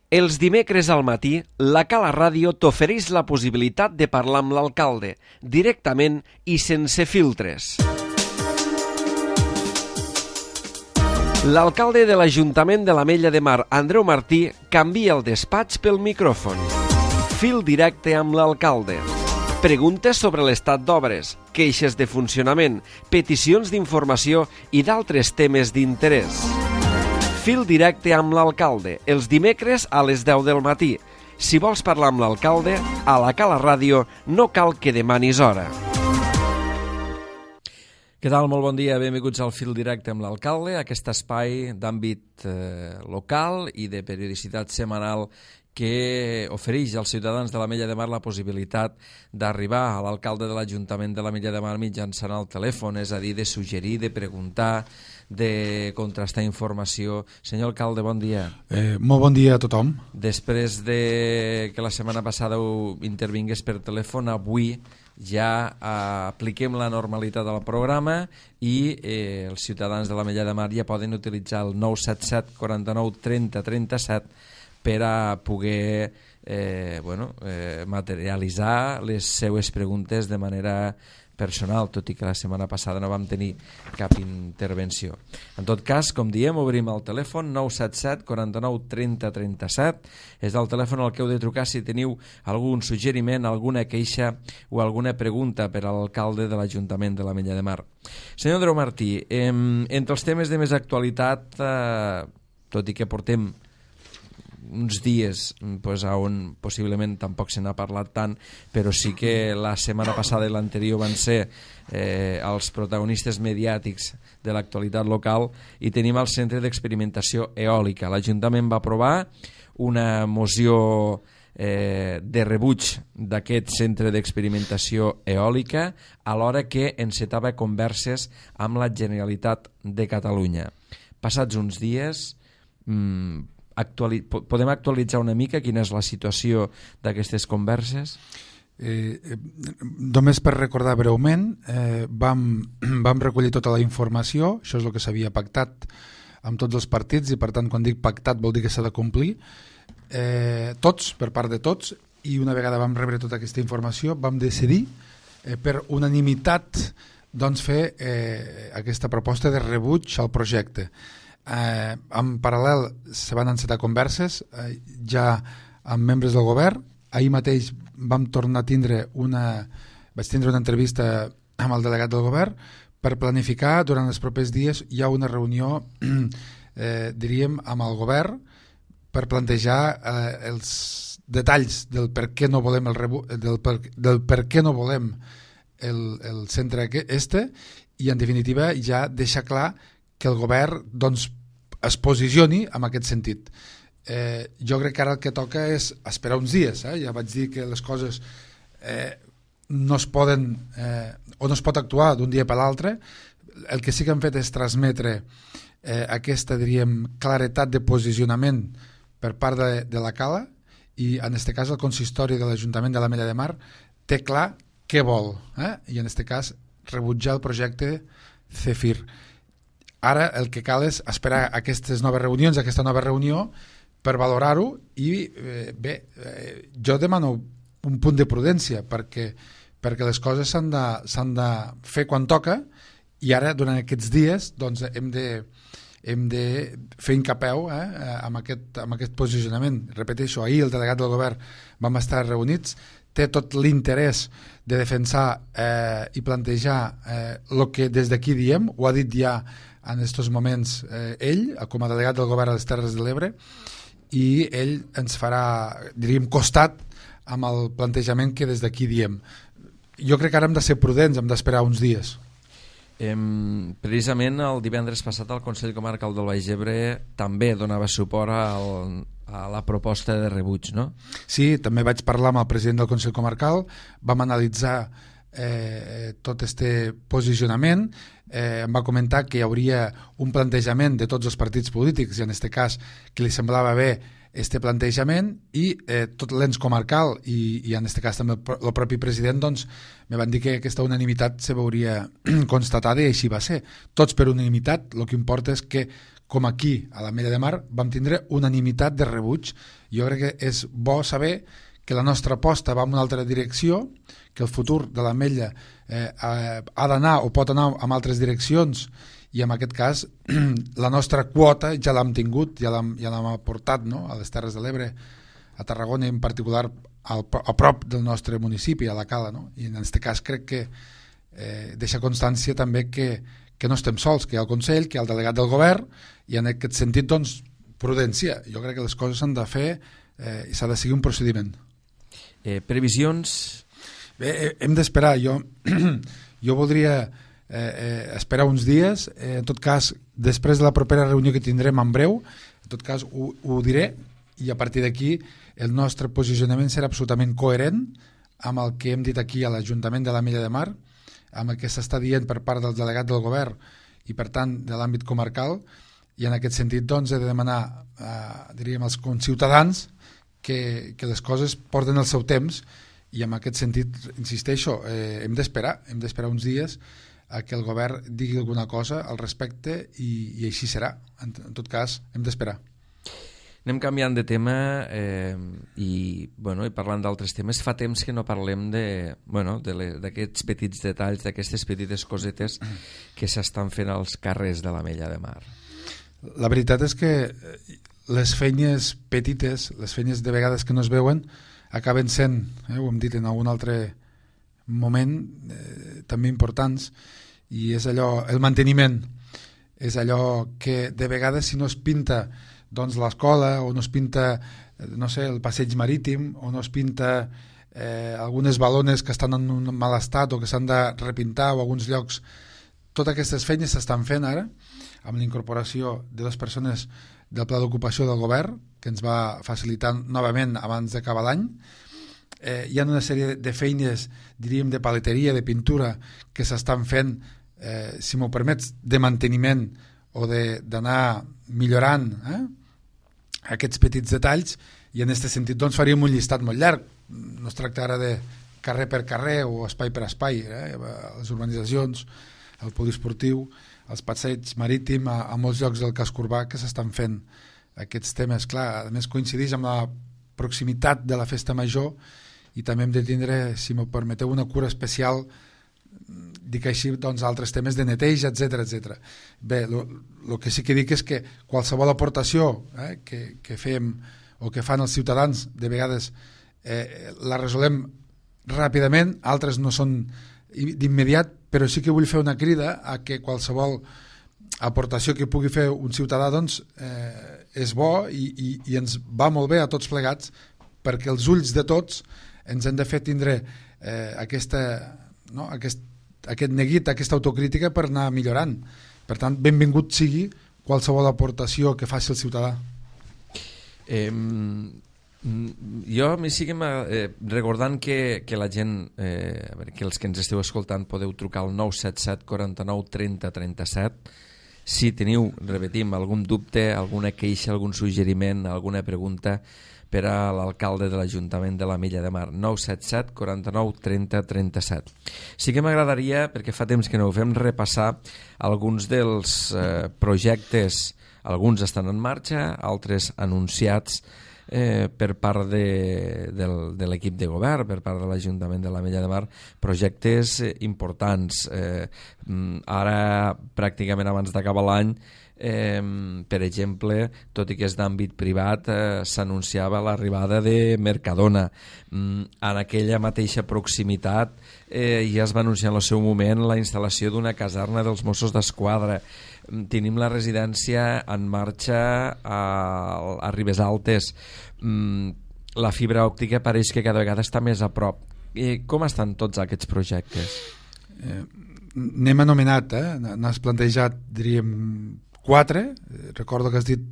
Els dimecres al matí, la Cala Ràdio t'ofereix la possibilitat de parlar amb l'alcalde, directament i sense filtres. L'alcalde de l'Ajuntament de l'Ametlla de Mar, Andreu Martí, canvia el despatx pel micròfon. Fil directe amb l'alcalde. Preguntes sobre l'estat d'obres, queixes de funcionament, peticions d'informació i d'altres temes d'interès. Fil directe amb l'alcalde, els dimecres a les 10 del matí. Si vols parlar amb l'alcalde, a la Cala Ràdio no cal que demanis hora. Què tal? Molt bon dia, benvinguts al Fil directe amb l'alcalde, aquest espai d'àmbit local i de periodicitat setmanal que ofereix als ciutadans de l'Ametlla de Mar la possibilitat d'arribar a l'alcalde de l'Ajuntament de l'Ametlla de Mar mitjançant el telèfon, és a dir, de suggerir, de preguntar, de contrastar informació. Senyor alcalde, bon dia. Molt bon dia a tothom. Després de que la setmana passada intervingués per telèfon, avui ja apliquem la normalitat al programa i els ciutadans de l'Ametlla de Mar ja poden utilitzar el 977 49 30 37 per a poder materialitzar les seues preguntes de manera personal, tot i que la setmana passada no vam tenir cap intervenció. En tot cas, com diem, obrim el telèfon 977 49 30 37. És el telèfon al que heu de trucar si teniu algun suggeriment, alguna queixa o alguna pregunta per a l'alcalde de l'Ajuntament de l'Ametlla de Mar. Senyor Andreu Martí, entre els temes de més actualitat, tot i que portem uns dies on possiblement tampoc se n'ha parlat tant, però sí que la setmana passada i l'anterior van ser els protagonistes mediàtics de l'actualitat local, i tenim el Centre d'Experimentació Eòlica. L'Ajuntament va aprovar una moció de rebuig d'aquest centre d'experimentació eòlica, alhora que encetava converses amb la Generalitat de Catalunya. Passats uns dies, podem actualitzar una mica quina és la situació d'aquestes converses? Només per recordar breument, vam recollir tota la informació, això és el que s'havia pactat amb tots els partits, i per tant quan dic pactat vol dir que s'ha de complir, tots, per part de tots, i una vegada vam rebre tota aquesta informació vam decidir per unanimitat fer aquesta proposta de rebuig al projecte. En paral·lel se van encetar converses ja amb membres del govern. Ahir mateix vam tornar a tindre vaig tindre una entrevista amb el delegat del govern per planificar durant els propers dies. Hi ha una reunió diríem amb el govern per plantejar els detalls del per què no volem del per què no volem el centre i en definitiva ja deixar clar que el govern es posicioni en aquest sentit. Jo crec que ara el que toca és esperar uns dies. Ja vaig dir que les coses no es poden o no es pot actuar d'un dia per l'altre. El que sí que hem fet és transmetre aquesta, diríem, claretat de posicionament per part de la Cala, i en aquest cas el consistori de l'Ajuntament de l'Ametlla de Mar té clar què vol, i en aquest cas rebutjar el projecte CEFIR. Ara el que cal és esperar aquestes noves reunions, aquesta nova reunió, per valorar-ho, i jo demano un punt de prudència perquè les coses s'han de fer quan toca, i ara durant aquests dies hem de fer incapeu amb aquest posicionament. Repeteixo, ahir el delegat del govern vam estar reunits, té tot l'interès de defensar i plantejar el que des d'aquí diem, ho ha dit ja en aquests moments ell, com a delegat del govern a les Terres de l'Ebre, i ell ens farà, diríem, costat amb el plantejament que des d'aquí diem. Jo crec que ara hem de ser prudents, hem d'esperar uns dies. Precisament el divendres passat el Consell Comarcal del Baix Ebre també donava suport a la proposta de rebuig, no? Sí, també vaig parlar amb el president del Consell Comarcal, vam analitzar tot este posicionament, em va comentar que hi hauria un plantejament de tots els partits polítics, i en aquest cas que li semblava bé este plantejament i tot l'ens comarcal i en aquest cas també el propi president doncs, me van dir que aquesta unanimitat se veuria constatada i així va ser. Tots per unanimitat, el que importa és que com aquí a l'Ametlla de Mar vam tindre unanimitat de rebuig. Jo crec que és bo saber que la nostra aposta va en una altra direcció, que el futur de l'Ametlla ha d'anar o pot anar en altres direccions i en aquest cas la nostra quota ja l'hem tingut, ja l'hem aportat, no? A les Terres de l'Ebre, a Tarragona i en particular a prop del nostre municipi, a la Cala, no? I en aquest cas crec que deixa constància també que no estem sols, que hi ha el Consell, que hi ha el delegat del govern i en aquest sentit doncs prudència. Jo crec que les coses s'han de fer i s'ha de seguir un procediment. Previsions? Bé, hem d'esperar. Jo voldria esperar uns dies, en tot cas després de la propera reunió que tindrem en breu, en tot cas ho diré i a partir d'aquí el nostre posicionament serà absolutament coherent amb el que hem dit aquí a l'Ajuntament de l'Ametlla de Mar, amb el que s'està dient per part del delegat del govern i per tant de l'àmbit comarcal, i en aquest sentit doncs he de demanar diríem als ciutadans que les coses porten el seu temps i en aquest sentit, insisteixo, hem d'esperar uns dies a que el govern digui alguna cosa al respecte i així serà. En tot cas, hem d'esperar. Anem canviant de tema i parlant d'altres temes. Fa temps que no parlem d'aquests petits detalls, d'aquestes petites cosetes que s'estan fent als carrers de l'Ametlla de Mar. La veritat és que les feines petites, les feines de vegades que no es veuen, acaben sent, ho hem dit en algun altre moment, també importants, i és allò, el manteniment és allò que de vegades si no es pinta doncs l'escola o no es pinta no sé, el passeig marítim o no es pinta algunes balones que estan en un mal estat o que s'han de repintar o alguns llocs, totes aquestes feines s'estan fent ara amb la incorporació de 2 persones del pla d'ocupació del govern que ens va facilitar novament abans d'acabar l'any. Hi ha una sèrie de feines, diríem, de paleteria, de pintura, que s'estan fent, si m'ho permets, de manteniment o d'anar millorant aquests petits detalls, i en aquest sentit doncs, faríem un llistat molt llarg. No es tracta ara de carrer per carrer o espai per espai, les urbanitzacions, el poliesportiu, els passeigs marítim, a molts llocs del casc urbà que s'estan fent aquests temes. Clar, a més coincideix amb la proximitat de la festa major i també hem de tindre, si m'ho permeteu, una cura especial, dic així, doncs, altres temes de neteja, etc. Bé, el que sí que dic és que qualsevol aportació que fem o que fan els ciutadans, de vegades la resolem ràpidament, altres no són d'immediat, però sí que vull fer una crida a que qualsevol aportació que pugui fer un ciutadà doncs, és bo i ens va molt bé a tots plegats, perquè els ulls de tots ens han de fer tindre aquest neguit, aquesta autocrítica per anar millorant. Per tant, benvingut sigui qualsevol aportació que faci el ciutadà. Jo m'hi sigui recordant que la gent, que els que ens esteu escoltant podeu trucar al 977 49 30 37. Si teniu, repetim, algun dubte, alguna queixa, algun suggeriment, alguna pregunta per a l'alcalde de l'Ajuntament de l'Ametlla de Mar, 977 49 30 37. Sí que m'agradaria, perquè fa temps que no ho fem, repassar alguns dels projectes, alguns estan en marxa, altres anunciats per part de l'equip de govern, per part de l'Ajuntament de l'Ametlla de Mar, projectes importants. Ara, pràcticament abans d'acabar l'any, per exemple, tot i que és d'àmbit privat, s'anunciava l'arribada de Mercadona. En aquella mateixa proximitat ja es va anunciar en el seu moment la instal·lació d'una caserna dels Mossos d'Esquadra. Tenim la residència en marxa a Ribes Altes. La fibra òptica pareix que cada vegada està més a prop. Com estan tots aquests projectes? N'hem anomenat, n'has plantejat, diríem, 4. Recordo que has dit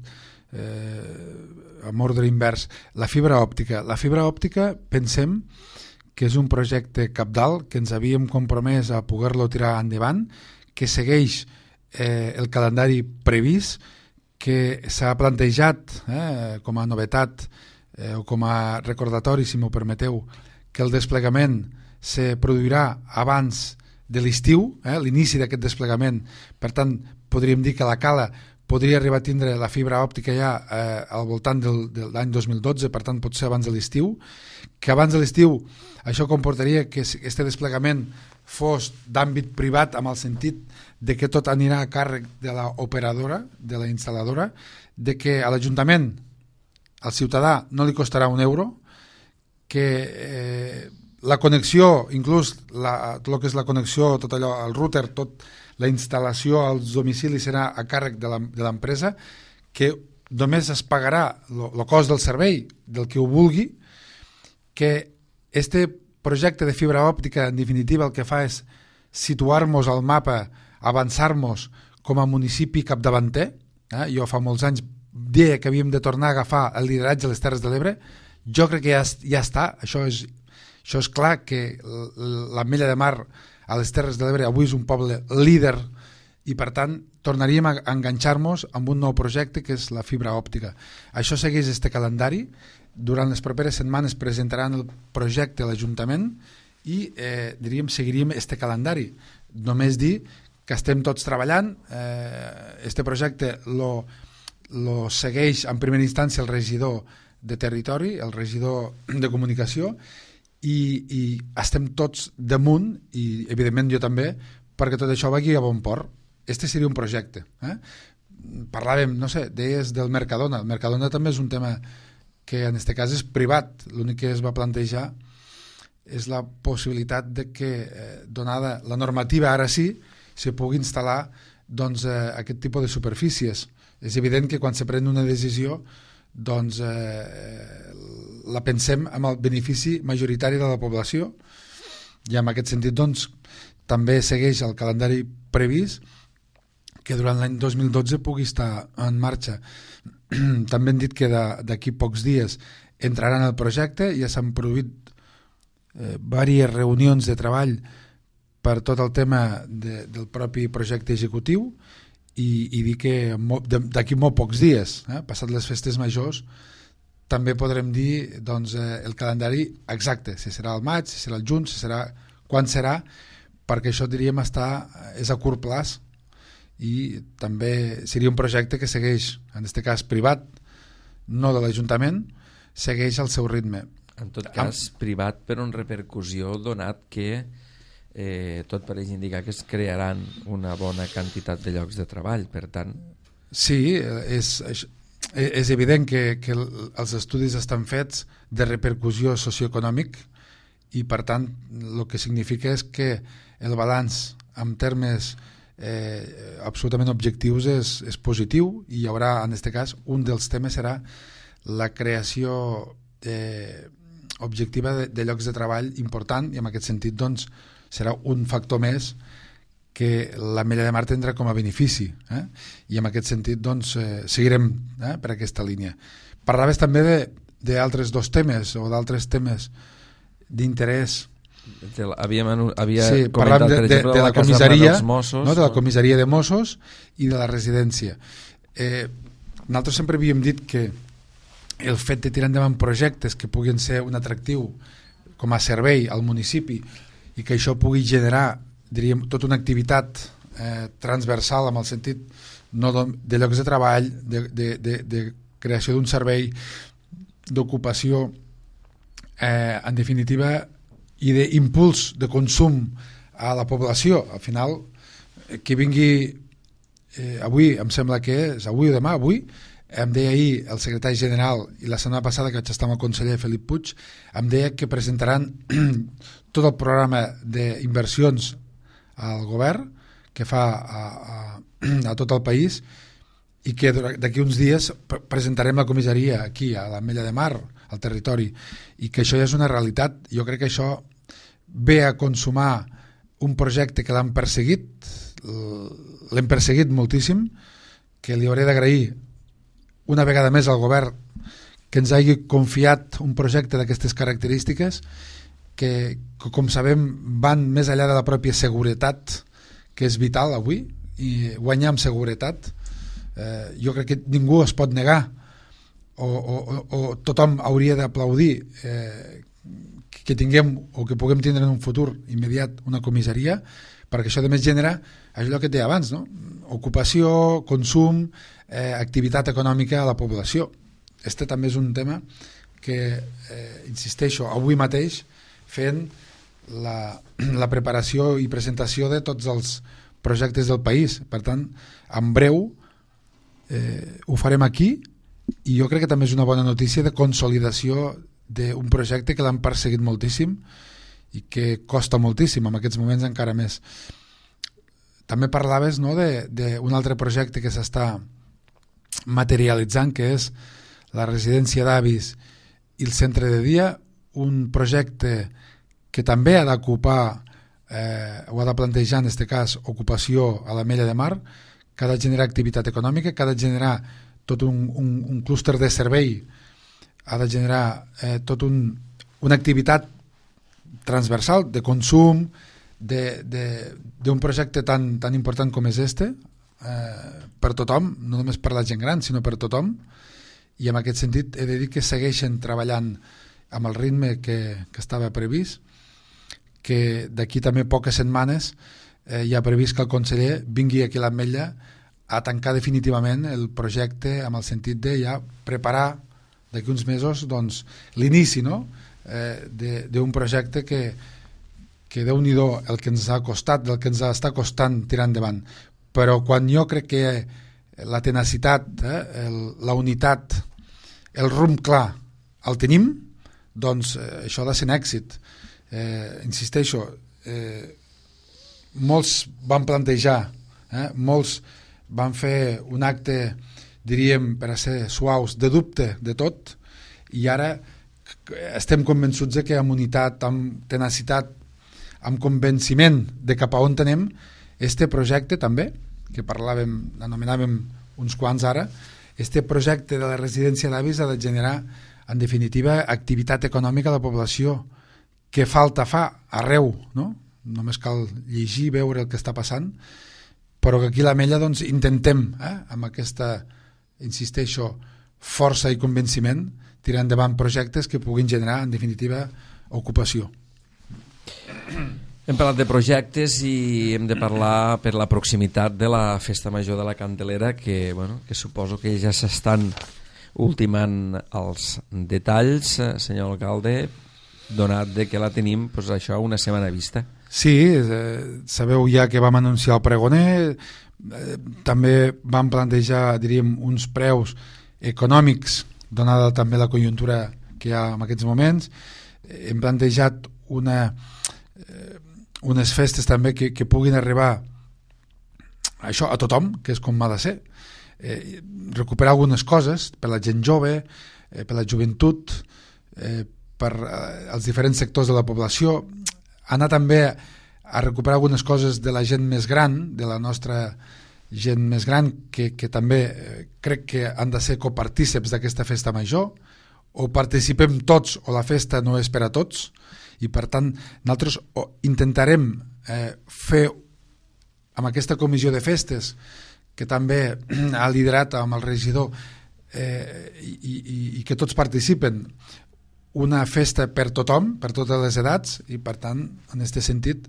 amb ordre invers. La fibra òptica. La fibra òptica, pensem que és un projecte cabdal, que ens havíem compromès a poder-lo tirar endavant, que segueix el calendari previst, que s'ha plantejat com a novetat o com a recordatori, si m'ho permeteu, que el desplegament se produirà abans de l'estiu, l'inici d'aquest desplegament. Per tant, podríem dir que la Cala podria arribar a tindre la fibra òptica ja al voltant de l'any 2012, per tant pot ser abans de l'estiu, que abans de l'estiu això comportaria que aquest desplegament fos d'àmbit privat, amb el sentit de que tot anirà a càrrec de l'operadora, de la instal·ladora, de que a l'Ajuntament, al ciutadà, no li costarà €1, que la connexió, inclús tot el que és la connexió, tot allò, el router, tot la instal·lació als domicilis serà a càrrec de l'empresa, que només es pagarà el cost del servei del que ho vulgui, que este projecte de fibra òptica en definitiva el que fa és situar-nos al mapa, avançar-nos com a municipi capdavanter. Jo fa molts anys deia que havíem de tornar a agafar el lideratge a les Terres de l'Ebre. Jo crec que ja està, això és clar, que l'Ametlla de Mar a les Terres de l'Ebre avui és un poble líder i per tant tornaríem a enganxar-nos amb un nou projecte que és la fibra òptica. Això segueix este calendari. Durant les properes setmanes presentaran el projecte a l'Ajuntament i seguiríem este calendari. Només dir que estem tots treballant. Este projecte lo segueix en primera instància el regidor de territori, el regidor de comunicació, i estem tots damunt, i evidentment jo també, perquè tot això vagi a bon port. Este seria un projecte. Parlàvem, no sé, deies del Mercadona. El Mercadona també és un tema que en aquest cas és privat. L'únic que es va plantejar és la possibilitat de que, donada la normativa ara sí, se pugui instal·lar aquest tipus de superfícies. És evident que quan se pren una decisió la pensem amb el benefici majoritari de la població, i en aquest sentit també segueix el calendari previst que durant l'any 2012 pugui estar en marxa. També hem dit que d'aquí pocs dies entraran al projecte. Ja s'han produït diverses reunions de treball per tot el tema del propi projecte executiu, i dir que d'aquí molt pocs dies, passat les festes majors, també podrem dir el calendari exacte, si serà al maig, si serà al juny, quan serà, perquè això diríem és a curt plaç, i també seria un projecte que segueix, en aquest cas privat, no de l'Ajuntament, segueix el seu ritme. En tot cas, privat per una repercussió, donat que tot pareix indicar que es crearan una bona quantitat de llocs de treball, per tant... Sí, és evident que els estudis estan fets de repercussió socioeconòmic, i per tant el que significa és que el balanç en termes absolutament objectius és positiu, i hi haurà, en aquest cas, un dels temes serà la creació objectiva de llocs de treball important, i en aquest sentit serà un factor més que l'Ametlla de Mar tindrà com a benefici, i en aquest sentit seguirem per aquesta línia. Parlaves també d'altres dos temes o d'altres temes d'interès. Parlàvem de la comissaria, de la comissaria de Mossos i de la residència. Nosaltres sempre havíem dit que el fet de tirar endavant projectes que puguin ser un atractiu com a servei al municipi, i que això pugui generar, diríem, tota una activitat transversal, amb el sentit no de llocs de treball, de creació d'un servei, d'ocupació, en definitiva, i d'impuls de consum a la població. Al final, que vingui avui, em sembla que és avui o demà, avui, em deia ahir el secretari general, i la setmana passada que vaig estar amb el conseller Felip Puig, em deia que presentaran tot el programa d'inversions al govern que fa a tot el país, i que d'aquí uns dies presentarem la comissaria aquí a l'Ametlla de Mar, al territori, i que això ja és una realitat. Jo crec que això ve a consumar un projecte que l'hem perseguit moltíssim, que li hauré d'agrair una vegada més al govern que ens hagi confiat un projecte d'aquestes característiques, que com sabem van més enllà de la pròpia seguretat, que és vital avui, i guanyar amb seguretat Jo crec que ningú es pot negar o tothom hauria d'aplaudir que tinguem o que puguem tindre en un futur immediat una comissaria, perquè això a més genera allò que et deia abans, no? Ocupació, consum, activitat econòmica a la població. Este també és un tema que, insisteixo, avui mateix fent la preparació i presentació de tots els projectes del país. Per tant, en breu ho farem aquí, i jo crec que també és una bona notícia de consolidació d'un projecte que l'han perseguit moltíssim i que costa moltíssim, en aquests moments encara més. També parlaves, no, d'un altre projecte que s'està materialitzant, que és la residència d'avis i el centre de dia, un projecte que també ha d'ocupar o ha de plantejar en aquest cas ocupació a l'Ametlla de Mar, que ha de generar activitat econòmica, que ha de generar tot un clúster de servei, ha de generar una activitat transversal de consum, d'un projecte tan important com és este, per tothom, no només per la gent gran, sinó per tothom, i en aquest sentit he de dir que segueixen treballant amb el ritme que estava previst, que d'aquí també poques setmanes hi ha previst que el conseller vingui aquí a l'Ametlla a tancar definitivament el projecte, amb el sentit de ja preparar d'aquí uns mesos doncs, l'inici, no? D'un projecte que Déu-n'hi-do el que ens ha costat, del que ens està costant tirar endavant. Però quan jo crec que la tenacitat, la unitat, el rumb clar el tenim, doncs això ha de ser un èxit. Insisteixo, molts van plantejar, molts van fer un acte, diríem, per a ser suaus, de dubte de tot, i ara estem convençuts que amb unitat, amb tenacitat, amb convenciment de cap a on tenem este projecte també, que anomenàvem uns quants ara, este projecte de la residència d'avis ha de generar, en definitiva, activitat econòmica a la població, que falta fa arreu, no? Només cal llegir, veure el que està passant, però que aquí a l'Ametlla doncs, intentem, amb aquesta, insisteixo, força i convenciment, tirar endavant projectes que puguin generar, en definitiva, ocupació. Hem parlat de projectes i hem de parlar per la proximitat de la Festa Major de la Candelera, que suposo que ja s'estan ultimant els detalls, senyor alcalde, donat de que la tenim això una setmana vista. Sí, sabeu ja que vam anunciar el pregoner, també vam plantejar, diríem, uns preus econòmics, donada també la conjuntura que hi ha en aquests moments. Hem plantejat unes festes també que puguin arribar això a tothom, que és com ha de ser, recuperar algunes coses per la gent jove, per la joventut, per als diferents sectors de la població, anar també a recuperar algunes coses de la gent més gran, de la nostra gent més gran, que també crec que han de ser copartíceps d'aquesta festa major, o participem tots o la festa no és per a tots, i per tant nosaltres intentarem fer amb aquesta comissió de festes que també ha liderat amb el regidor i que tots participen, una festa per tothom, per totes les edats, i per tant en aquest sentit,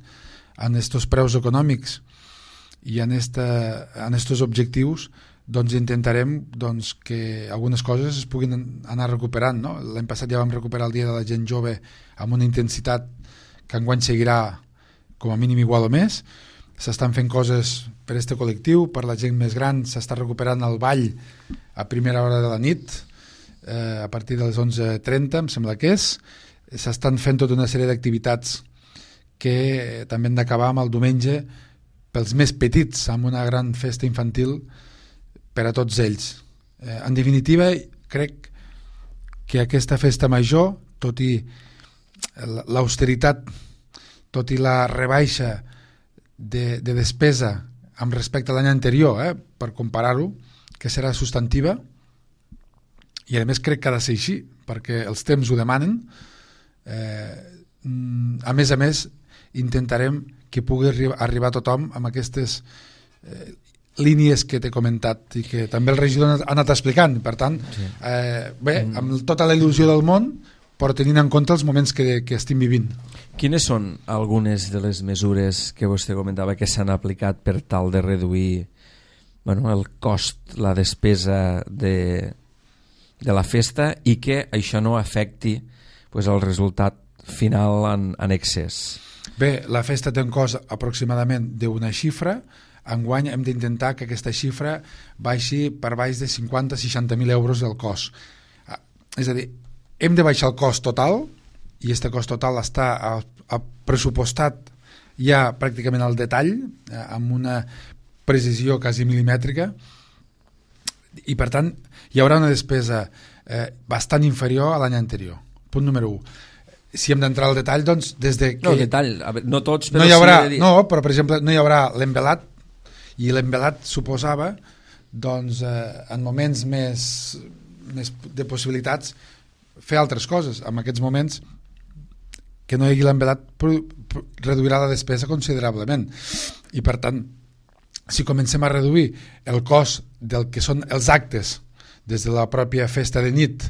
en aquests preus econòmics i en aquests objectius, doncs intentarem que algunes coses es puguin anar recuperant, no? L'any passat ja vam recuperar el dia de la gent jove amb una intensitat que enguany seguirà com a mínim igual o més. S'estan fent coses per este col·lectiu, per la gent més gran s'està recuperant el ball a primera hora de la nit, a partir de les 11:30 em sembla que és. S'estan fent tota una sèrie d'activitats que també han d'acabar amb el diumenge pels més petits, amb una gran festa infantil per a tots ells. En definitiva, crec que aquesta festa major, tot i l'austeritat, tot i la rebaixa de despesa amb respecte a l'any anterior, per comparar-ho, que serà substantiva, i a més crec que ha de ser així, perquè els temps ho demanen. A més, intentarem que pugui arribar a tothom amb aquestes línies que t'he comentat i que també el regidor ha anat explicant. Per tant, amb tota la il·lusió del món, però tenint en compte els moments que estem vivint. Quines són algunes de les mesures que vostè comentava que s'han aplicat per tal de reduir el cost, la despesa de la festa i que això no afecti el resultat final en excés? Bé, la festa té un cost aproximadament d'una xifra. Enguany hem d'intentar que aquesta xifra baixi per baix de 50-60.000 euros el cost. És a dir, hem de baixar el cost total, i aquest cost total està pressupostat ja pràcticament al detall, amb una precisió quasi milimètrica, i per tant hi haurà una despesa bastant inferior a l'any anterior. Punt número 1. Si hem d'entrar al detall, doncs, des de que... No, detall, no tots, però no hi haurà, sí... No, però per exemple no hi haurà l'envelat, i l'envelat suposava, doncs, en moments més de possibilitats, fer altres coses. En aquests moments, que no hi hagi l'envelat reduirà la despesa considerablement. I per tant, si comencem a reduir el cost del que són els actes, des de la pròpia festa de nit,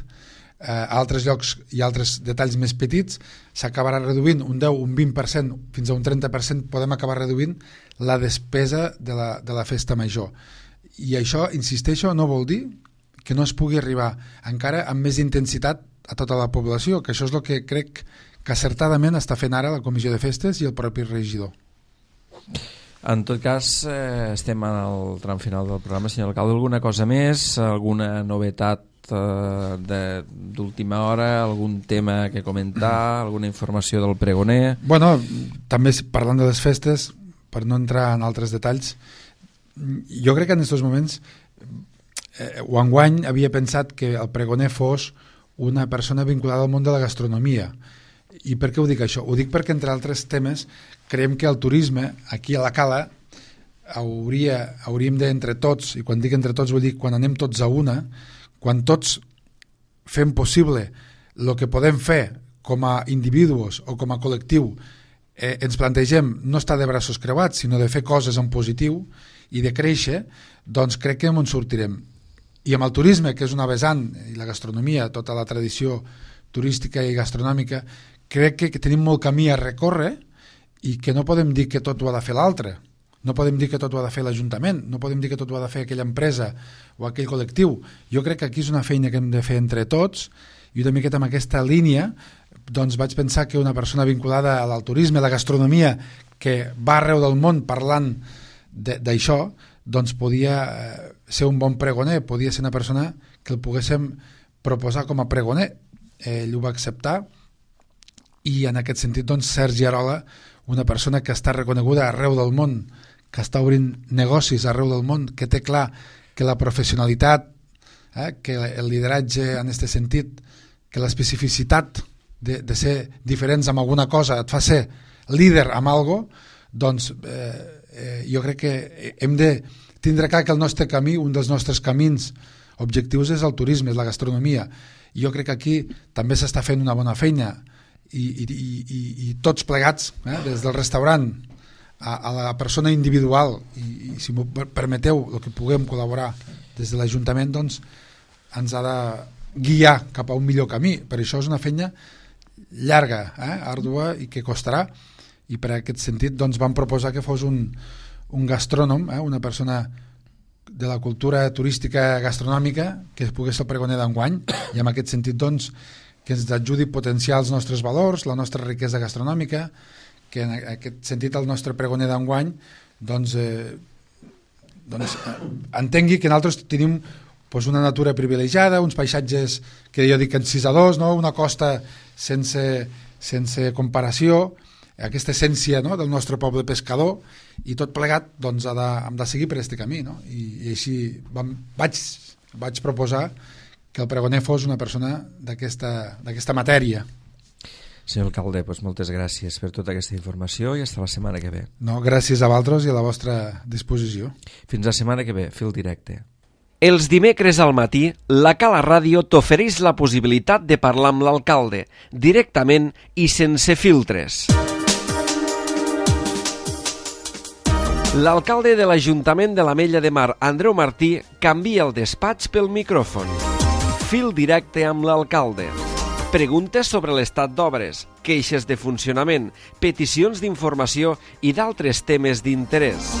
a altres llocs i altres detalls més petits, s'acabarà reduint un 10, un 20%, fins a un 30% podem acabar reduint la despesa de la festa major. I això, insisteixo, no vol dir que no es pugui arribar encara amb més intensitat a tota la població, que això és el que crec que acertadament està fent ara la Comissió de Festes i el propi regidor. En tot cas, estem al tram final del programa. Senyor alcalde, alguna cosa més? Alguna novetat d'última hora? Algun tema que comentar? Alguna informació del pregoner? Bueno, també parlant de les festes, per no entrar en altres detalls, jo crec que en aquests moments o enguany havia pensat que el pregoner fos una persona vinculada al món de la gastronomia. I per què ho dic això? Ho dic perquè, entre altres temes, creiem que el turisme aquí a la Cala hauríem d'entre tots, i quan dic entre tots vull dir quan anem tots a una, quan tots fem possible el que podem fer com a individus o com a col·lectiu, ens plantegem no estar de braços creuats, sinó de fer coses en positiu i de créixer, doncs crec que en sortirem. I amb el turisme, que és una vessant, i la gastronomia, tota la tradició turística i gastronòmica, crec que tenim molt camí a recórrer i que no podem dir que tot ho ha de fer l'altre. No podem dir que tot ho ha de fer l'Ajuntament, no podem dir que tot ho ha de fer aquella empresa o aquell col·lectiu. Jo crec que aquí és una feina que hem de fer entre tots, i una miqueta amb aquesta línia doncs vaig pensar que una persona vinculada al turisme, a la gastronomia, que va arreu del món parlant d'això, doncs podia ser un bon pregoner, podia ser una persona que el poguéssim proposar com a pregoner. Ell ho va acceptar, i en aquest sentit, doncs, Sergi Arola, una persona que està reconeguda arreu del món, que està obrint negocis arreu del món, que té clar que la professionalitat, que el lideratge en aquest sentit, que l'especificitat de ser diferents amb alguna cosa et fa ser líder amb algo, doncs jo crec que hem de tindre clar que el nostre camí, un dels nostres camins objectius és el turisme, és la gastronomia. Jo crec que aquí també s'està fent una bona feina, i tots plegats, des del restaurant a la persona individual, i si m'ho permeteu, el que puguem col·laborar des de l'Ajuntament, doncs ens ha de guiar cap a un millor camí. Per això és una feina llarga, àrdua, i que costarà, i per aquest sentit doncs vam proposar que fos un gastrònom, una persona de la cultura turística gastronòmica que pogués ser el pregoner d'enguany, i en aquest sentit doncs que ens ajudi a potenciar els nostres valors, la nostra riquesa gastronòmica, que en aquest sentit el nostre pregoner d'enguany doncs entengui que nosaltres tenim una natura privilegiada, uns paisatges que jo dic encisadors, una costa sense comparació, aquesta essència del nostre poble pescador, i tot plegat doncs hem de seguir per aquest camí, i així vaig proposar que el pregoner fos una persona d'aquesta matèria. Senyor alcalde, moltes gràcies per tota aquesta informació i fins la setmana que ve. No, gràcies a vosaltres i a la vostra disposició. Fins la setmana que ve, fil directe. Els dimecres al matí, la Cala Ràdio t'ofereix la possibilitat de parlar amb l'alcalde, directament i sense filtres. L'alcalde de l'Ajuntament de l'Ametlla de Mar, Andreu Martí, canvia el despatx pel micròfon. Fil directe amb l'alcalde. Preguntes sobre l'estat d'obres, queixes de funcionament, peticions d'informació i d'altres temes d'interès.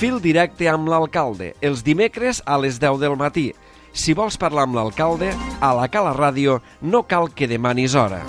Fil directe amb l'alcalde, els dimecres a les 10 del matí. Si vols parlar amb l'alcalde, a la Cala Ràdio no cal que demanis hora.